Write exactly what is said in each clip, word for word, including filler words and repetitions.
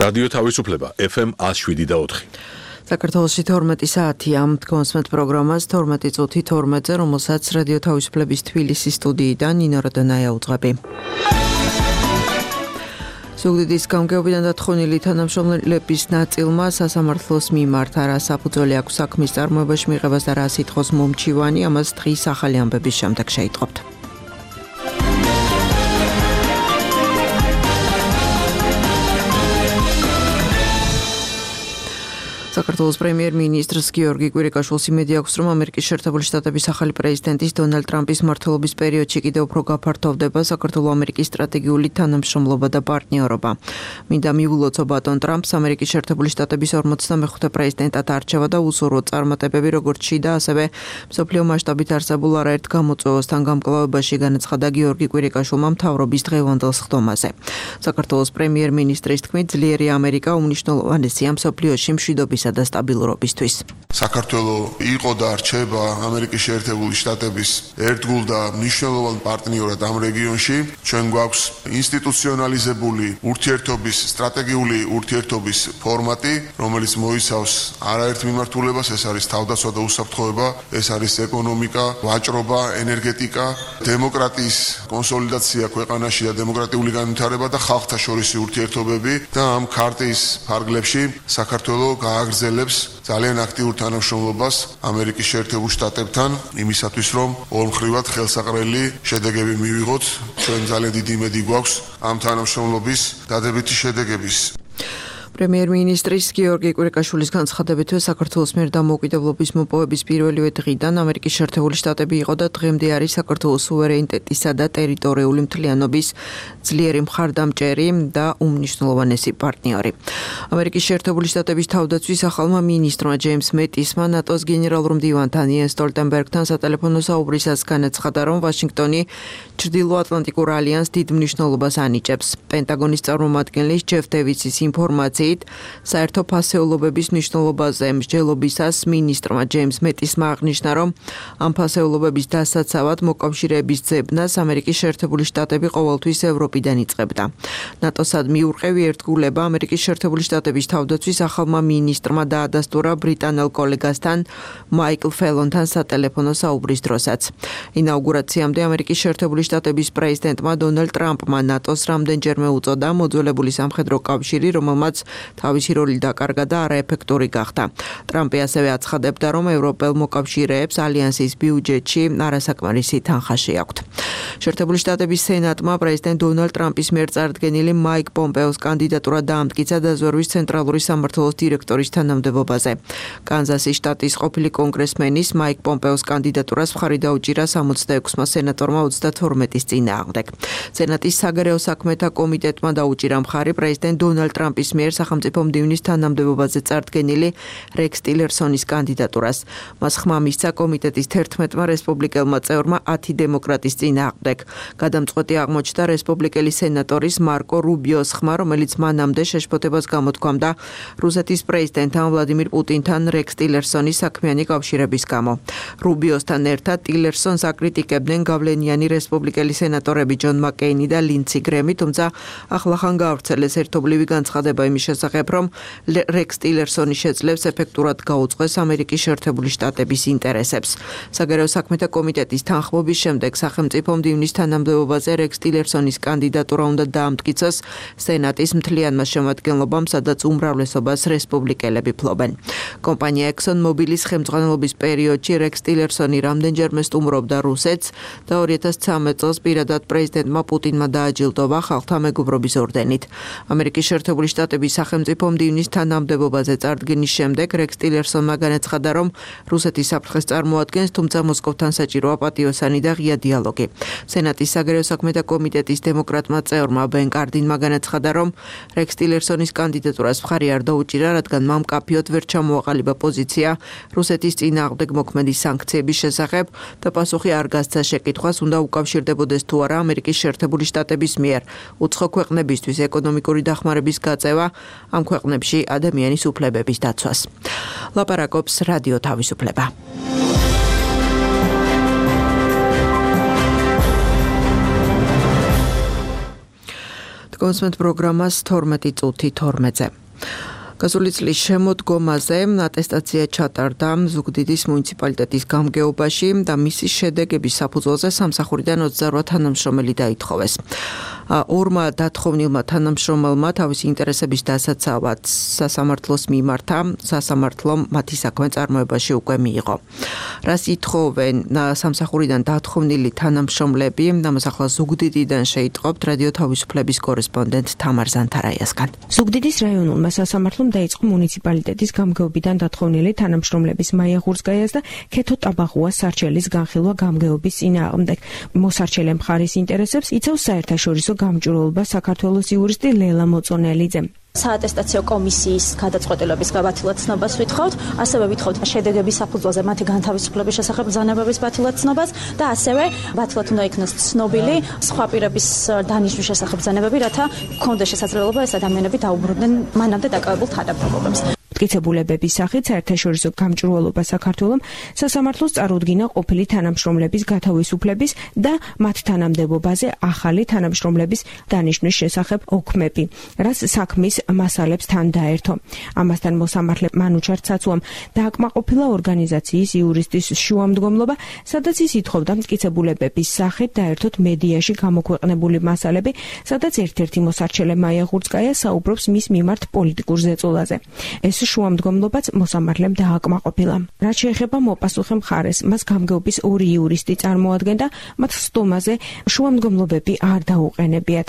რადიო თავისუფლება ეფ ემ one oh seven და four. საქართველოში თორმეტი საათია მდგომსმეთ პროგრამას თორმეტი წუთი თორმეტზე, რომელსაც რადიო თავისუფლების თბილისის სტუდიიდან ნინო როდონაია უძღვები. ზუგდიდის გამგეობიდან დათხოვნილი თანამშრომლების ნაწილმა სასამართლოს მიმართ არა საფუძველი აქვს საქმის წარმოებაში მიღებას და რა სიტყვის მომჩივანი, ამას დღის ახალი ამბების შემდეგ შეიტყობთ. საქართველოს პრემიერ-მინისტრს გიორგი კვირიკაშვილს იმედი აქვს, რომ ამერიკის შეერთებული შტატების ახალი პრეზიდენტის დონალდ ტრამპის მმართველობის პერიოდში კიდევ უფრო გაფართოვდება საქართველო-ამერიკის სტრატეგიული თანამშრომლობა და პარტნიორობა. მინდა მიულოცო ბატონ ტრამპს ამერიკის შეერთებული შტატების ორმოცდამეხუთე პრეზიდენტად არჩევა და უსურვო წარმატებები როგორც შიდა, ასევე მსოფლიო მასშტაბით არსებულ არაერთ გამოწვევასთან გამკლავებაში, განაცხადა გიორგი კვირიკაშვილმა მთავრობის დღევანდელ სხდომაზე. საქართველოს პრემიერ-მინისტრის თქმით, ძლიერი ამერიკა უმნიშვნელოვანესია მსოფლიოში მშვიდობის და სტაბილურობისთვის. საქართველო იყო და რჩება ამერიკის შეერთებული შტატების ერთგულ და მნიშვნელოვან პარტნიორად ამ რეგიონში. ჩვენ გვაქვს ინსტიტუციონალიზებული ურთიერთობის, სტრატეგიული ურთიერთობის ფორმატი, რომელიც მოიცავს არაერთ მიმართულებას, ეს არის თავდაცვა და უსაფრთხოება, ეს არის ეკონომიკა, ვაჭრობა, ენერგეტიკა, დემოკრატიის კონსოლიდაცია ქვეყანაში და დემოკრატიული განვითარება და ხალხთა შორისი ურთიერთობები და ამ ქარტის ფარგლებში საქართველო გააგრძელებს ძალიან აქტიურ თანამშრომლობას ამერიკის შეერთებულ შტატებთან იმისათვის, რომ ორმხრივად ხელსაყრელი შედეგები მივიღოთ. ჩვენ ძალიან დიდი იმედი გვაქვს ამ თანამშრომლობის დადებითი შედეგების. პრემიერ-მინისტრის გიორგი კვირიკაშვილის განცხადებითვე საქართველოს მიერ დამოუკიდებლობის მოპოვების პირველივე დღიდან ამერიკის შეერთებული შტატები იყო და დღემდე არის საქართველოს სუვერენიტეტისა და ტერიტორიული მთლიანობის ძლიერი მხარდამჭერი და უმნიშვნელოვანესი პარტნიორი. ამერიკის შეერთებული შტატების თავდაცვის ახალმა მინისტრმა ჯეიმს მეტისმა ნატოს გენერალურ მდივანთან იენს სტოლტენბერგთან სატელეფონო საუბრისას განაცხადა, რომ ვაშინგტონი ჩრდილოატლანტიკურ ალიანსს დიდ მნიშვნელობას ანიჭებს. პენტაგონის წარმომადგენლის ჯეფ დევისის ინფორმაციით საერთო ფასეულობების მნიშვნელობაზე მსჯელობისას მინისტრმა ჯეიმს მეტისმა აღნიშნა, რომ ამ ფასეულობების დასაცავად მოკავშირეების ძებნას ამერიკის შეერთებული შტატები ყოველთვის ევროპიდან იწყებდა. ნატოსად მიურყევი ერთგულება ამერიკის შეერთებული შტატების თავდაცვის ახალმა მინისტრმა დაადასტურა ბრიტანელ კოლეგასთან მაიკლ ფელონთან სატელეფონო საუბრის დროსაც. ინაუგურაციამდე ამერიკის შეერთებული შტატების პრეზიდენტმა დონალდ ტრამპმა ნატოს რამდენჯერმე უწოდა მოძველებული სამხედრო კავშირი, რომელმაც თავისი როლი დაკარგა და არაეფექტური გახდა. ტრამპი ასევე აცხადებდა, რომ ევროპელ მოკავშირეებს ალიანსის ბიუჯეტში არასაკმარისი თანხა შეაქვთ. შეერთებული შტატების სენატმა პრეზიდენტ დონალდ ტრამპის მიერ წარდგენილი მაიკ პომპეოს კანდიდატურა დაამტკიცა დაზვერვის ცენტრალური სამმართველოს დირექტორის თანამდებობაზე. კანზასის შტატის ყოფილი კონგრესმენის მაიკ პომპეოს კანდიდატურას მხარი დაუჭირა სამოცდაექვსმა სენატორმა ოცდათორმეტის წინააღმდეგ. სენატის საგარეო საქმეთა კომიტეტმა დაუჭირა მხარი პრეზიდენტ დონალდ ტრამპის მიერ სახელმწიფო მდივნის თანამდებობაზე წარდგენილი რექს ტილერსონის კანდიდატურას. მას ხმა მისცა კომიტეტის თერთმეტმა რესპუბლიკელმა წევრმა ათი დემოკრატის წინააღმდეგ. გადამწყვეტი აღმოჩნდა რესპუბლიკელი სენატორის მარკო რუბიოს ხმა, რომელიც მანამდე შეშფოთებას გამოთქვამდა რუსეთის პრეზიდენტთან ვლადიმირ პუტინთან რექს ტილერსონის საქმიანი კავშირების გამო. რუბიოსთან ერთად ტილერსონს აკრიტიკებდნენ გავლენიანი რესპუბლიკელი სენატორები ჯონ მაკეინი და ლინცი გრემი, თუმცა ახლახან გაავრცელეს ერთობლივი განცხადება იმის შესახებ, რომ რექს ტილერსონი შეძლებს ეფექტურად გაუწყვეს ამერიკის შეერთებული შტატების ინტერესებს. საგარეო საქმეთა კომიტეტის თანხმობის შემდეგ სახელმწიფო მდივნის თანამდებობაზე რექს ტილერსონის კანდიდატურა უნდა დაამტკიცოს სენატის მთლიანმა შემადგენლობამ, სადაც უმრავლესობას რესპუბლიკელები ფლობენ. კომპანია ექსონ მობილის ხელმძღვანელობის პერიოდში რექს ტილერსონი რამდენჯერმე სტუმრობდა რუსეთს და ორი ათას ცხრამეტ წელს პირადად პრეზიდენტმა პუტინმა დააჯილდოვა ხალხთა მეგობრობის ორდენით. ამერიკის შეერთებული შტატების სახელმწიფო მდივნის თანამდებობაზე წარდგენის შემდეგ რექს ტილერსონმა განაცხადა, რომ რუსეთის საფრთხეს წარმოადგენს, თუმცა მოსკოვთან საჭიროა პატიოსანი და ღია დიალოგი. სენატის საგარეო საქმეთა კომიტეტის დემოკრატმა წევრმა ბენ კარდინმა განაცხადა, რომ რექს ტილერსონის კანდიდატურას მხარი არ დაუჭირა, რადგან მამ მკაფიოდ ვერ ჩამოაყალიბა პოზიცია რუსეთის წინააღმდეგ მოქმედი სანქციების შესახებ და პასუხი არ გასცა შეკითხვას, უნდა უკავშირდებოდეს თუ არა ამერიკის შეერთებული შტატების მიერ უცხო ქვეყნებისთვის ეკონომიკური დახმარების გაწევა ამ ქვეყნებში ადამიანის უფლებების დაცვას. ლაპარაკობს რადიო თავისუფლება. კონსმეთ პროგრამას თორმეტი წუთი თორმეტზე. გასული წლის შემოდგომაზე ატესტაცია ჩატარდა ზუგდიდის მუნიციპალიტეტის გამგეობაში და მისი შედეგების საფუძველზე სამსახურიდან ოცდაოთხ თანამშრომელი დაითხოვეს. ორმა დათხოვნილმა თანამშრომელმა თავისი ინტერესების დასაცავად სასამართლოს მიმართა, სასამართლომ მათი საქმე წარმოებაში უკვე მიიღო. რას ითხოვენ სამსახურიდან დათხოვნილი თანამშრომლები, ამას ახლა ზუგდიდიდან შეიტყობთ რადიო თავისუფლების კორესპონდენტ თამარ ზანთარაიასგან. ზუგდიდის რაიონულმა სასამართლომ დაიწყო მუნიციპალიტეტის გამგეობიდან დათხოვნილი თანამშრომლების მაია ღურსკაიას და ქეთო ტაბაღუას სარჩელის განხილვა გამგეობის წინააღმდეგ. მოსარჩელე მხარის ინტერესებს იცავს საერთაშორისო გამჭვირვალობა საქართველოს იურისტი ლელა მოწონელიძე. საატესტაციო კომისიის გადაწყვეტილების გაბათილად ცნობას ვითხოვთ, ასევე ვითხოვთ შედეგების საფუძველზე მათი განთავისუფლების შესახებ ბრძანებების ბათილად ცნობას და ასევე ბათილად უნდა იქნას ცნობილი სხვა პირების დანიშვნის შესახებ ბრძანებები, რათა გქონდეს შესაძლებლობა ეს ადამიანები დაუბრუნდნენ მანამდე დაკავებულ თანამდებობებს. მტკიცებულებების სახით საერთაშორისო გამჭვირვალობა საქართველოს სასამართლოს წარუდგინა ყოფილი თანამშრომლების გათავისუფლების და მათ თანამდებობაზე ახალი თანამშრომლების დანიშვნის შესახებ ოქმები, რაც საქმის მასალებს თან დაერთო. ამასთან მოსამართლე მანუჩარ ცაცუამ დააკმაყოფილა ორგანიზაციის იურისტის შუამდგომლობა, სადაც ის ითხოვდა მტკიცებულებების სახით დაერთოთ მედიაში გამოქვეყნებული მასალები, სადაც ერთ-ერთი მოსარჩელე მაია ღურსკაია საუბრობს მის მიმართ პოლიტიკურ ზეწოლაზე. ეს შუამდგომლობაც მოსამართლემ დააკმაყოფილა. რაც შეეხება მოპასუხე მხარეს, მას გამგეობის ორი იურისტი წარმოადგენდა, მათ სტომაზე შუამდგომლობები არ დაუყენებიათ.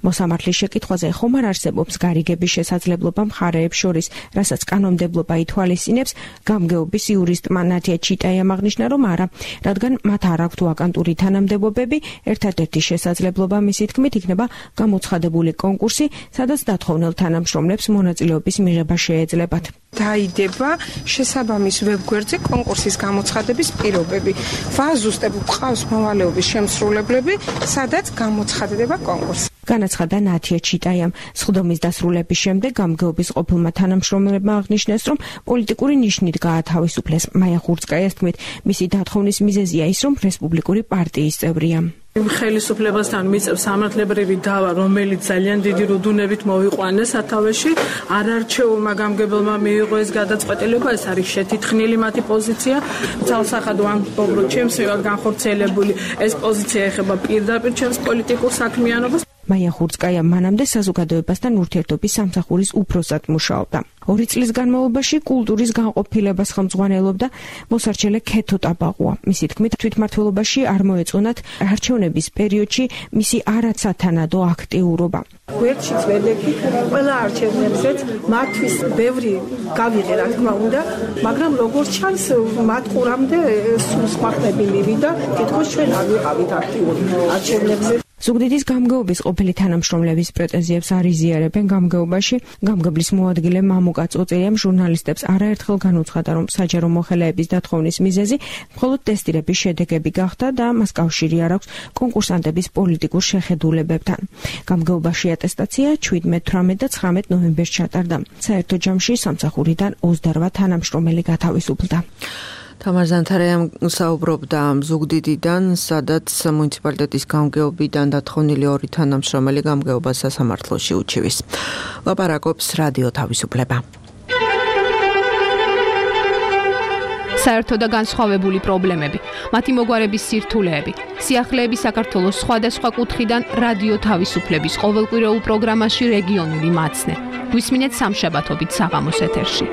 მოსამართლის შეკითხვაზე ხომ არ არსებობს გარიგების შესაძლებლობა მხარეებს შორის, რასაც კანონმდებლობა ითვალისწინებს, გამგეობის იურისტმა ნათია ჩიტაიამ აღნიშნა, რომ არა, რადგან მათ არ აქვთ ვაკანტური თანამდებობები, ერთადერთი შესაძლებლობა მისი თქმით იქნება გამოცხადებული კონკურსი, სადაც დათხოვნილ თანამშრომლებს მონაწილეობის მიღება შეეძლებათ. დაიდება შესაბამის ვებგვერდზე კონკურსის გამოცხადების პირობები. ვაზუსტებ გვყავს მოვალეობის შემსრულებლები, სადაც გამოცხადდება კონკურსი. განაცხადა ნათია ჩიტაიამ. სხდომის დასრულების შემდეგ გამგეობის ყოფილმა თანამშრომლებმა აღნიშნეს, რომ პოლიტიკური ნიშნით გაათავისუფლეს. მაია ღურსკაიას თქმით, მისი დათხოვნის მიზეზია ის, რომ რესპუბლიკური პარტიის წევრია. ხელისუფლებასთან მიწევს სამართლებრივი დავა, რომელიც ძალიან დიდი რუდუნებით მოვიყვანეს სათავეში. არარჩეულმა გამგებელმა მიიღო ეს გადაწყვეტილება, ეს არის შეთითხნილი მათი პოზიცია. ძალსახად ვამბობ, ჩემს მიმართ განხორციელებული ეს პოზიცია ეხება პირდაპირ ჩემს პოლიტიკურ საქმიანობას. მაია ღურსკაია მანამდე საზოგადოებასთან ურთიერთობის სამსახურის უფროსად მუშაობდა. ორი წლის განმავლობაში კულტურის განყოფილებას ხელმძღვანელობდა მოსარჩელე ქეთო ტაბაღუა. მისი თქმით, თვითმმართველობაში არ მოეწონათ არჩევნების პერიოდში მისი არაცათანადო აქტიურობა. გვერდშიც ვედეგით ყველა არჩევნებზეც მათთვის ბევრი გავიღე, რა თქმა უნდა, მაგრამ როგორც ჩანს, მათ ყურამდე სულ სხვა ხმები მივიდა, თითქოს ჩვენ არ ვიყავით აქტიური არჩევნებზე. ზუგდიდის გამგეობის ყოფილი თანამშრომლების პრეტენზიებს არ იზიარებენ გამგეობაში. გამგებლის მოადგილე მამუკა წოწერიამ ჟურნალისტებს არაერთხელ განუცხადა, რომ საჯარო მოხელეების დათხოვნის მიზეზი მხოლოდ ტესტირების შედეგები გახდა და მას კავშირი არ აქვს კონკურსანტების პოლიტიკურ შეხედულებებთან. გამგეობაში ატესტაცია შვიდმეტ, თვრამეტ და ცხრამეტ ნოემბერს ჩატარდა. საერთო ჯამში სამსახურიდან ოცდაოთხ თანამშრომელი გათავისუფლდა. თამარ ზანთარაიამ საუბრობდა ზუგდიდიდან, სადაც მუნიციპალიტეტის გამგეობიდან დათხოვნილი ორი თანამშრომელი გამგეობას სასამართლოში უჩივის. ლაპარაკობს რადიო თავისუფლება. საერთო და განსხვავებული პრობლემები, მათი მოგვარების სირთულეები, სიახლეები საქართველოს სხვადასხვა კუთხიდან რადიო თავისუფლების ყოველკვირეულ პროგრამაში რეგიონული მაცნე. გვისმინეთ სამშაბათობით საღამოს ეთერში.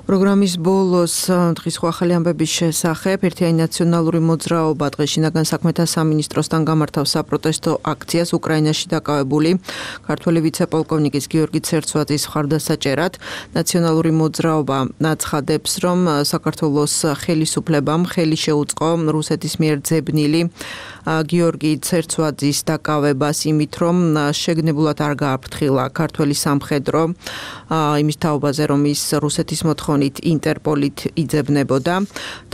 პროგრამის ბოლოს დღის სხვა ახალი ამბების შესახებ ერთიანი ნაციონალური მოძრაობა დღეს შინაგან საქმეთა სამინისტროსთან გამართავს საპროტესტო აქციას უკრაინაში დაკავებული ქართველი ვიცე-პოლკოვნიკის გიორგი ცერცვაძის მხარდასაჭერად. ნაციონალური მოძრაობა აცხადებს, რომ საქართველოს ხელისუფლებამ ხელი შეუწყო რუსეთის მიერ ძებნილი გიორგი ცერცვაძის დაკავებას იმით, რომ შეგნებულად არ გააფრთხილა ქართველი სამხედრო იმის თაობაზე, რომ ის რუსეთის მოთხოვნით ინტერპოლით იძებნებოდა.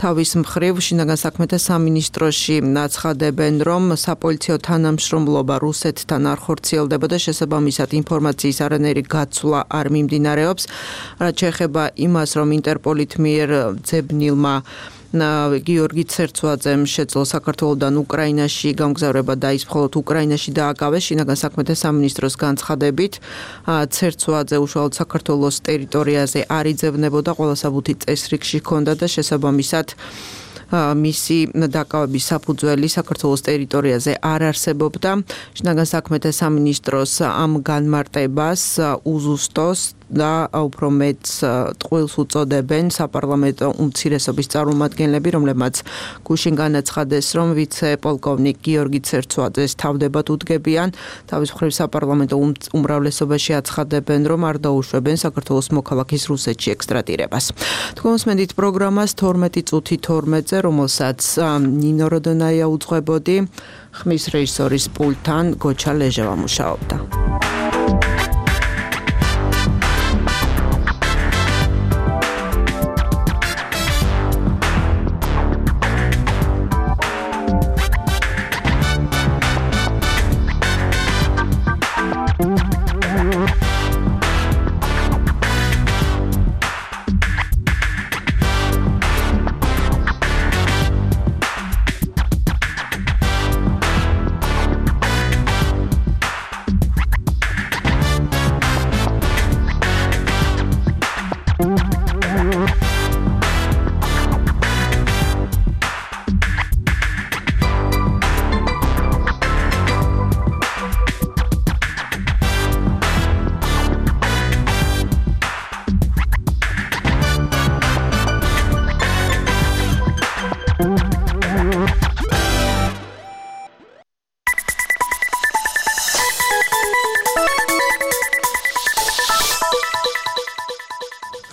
თავის მხრივ შინაგან საქმეთა სამინისტროში აცხადებენ, რომ საპოლიციო თანამშრომლობა რუსეთთან არ ხორციელდებოდა, შესაბამისად ინფორმაციის არანაირი გაცვლა არ მიმდინარეობს. რაც შეეხება იმას, რომ ინტერპოლით მიერ ძებნილმა გიორგი ცერცვაძემ შეძლო საქართველოსდან უკრაინაში გამგზავრება და ის მხოლოდ უკრაინაში დააკავეს. შინაგან საქმეთა სამინისტროს განცხადებით, ცერცვაძე უშუალოდ საქართველოს ტერიტორიაზე არ იძებნებოდა, ყველა საბუთი წესრიგში ჰქონდა და შესაბამისად მისი დაკავების საფუძველი საქართველოს ტერიტორიაზე არ არსებობდა. შინაგან საქმეთა სამინისტროს ამ განმარტებას უზუსტოს და უფრო მეტ ტყუილს უწოდებენ საპარლამენტო უმცირესობის წარმომადგენლები, რომლებმაც გუშინ განაცხადეს, რომ ვიცე-პოლკოვნიკ გიორგი ცერცვაძეს თავდებად უდგებიან. თავის მხრივ საპარლამენტო უმრავლესობაში აცხადებენ, რომ არ დაუშვებენ საქართველოს მოქალაქის რუსეთში ექსტრადირებას. თქვენ მოსმენთ პროგრამას თორმეტი წუთი თორმეტზე, რომელსაც ნინო როდონაია უძღვებოდი, ხმის რეჟისორის პულტთან გოჩა ლეჟევა მუშაობდა.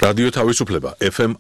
რადიო თავისუფლება ეფ ემ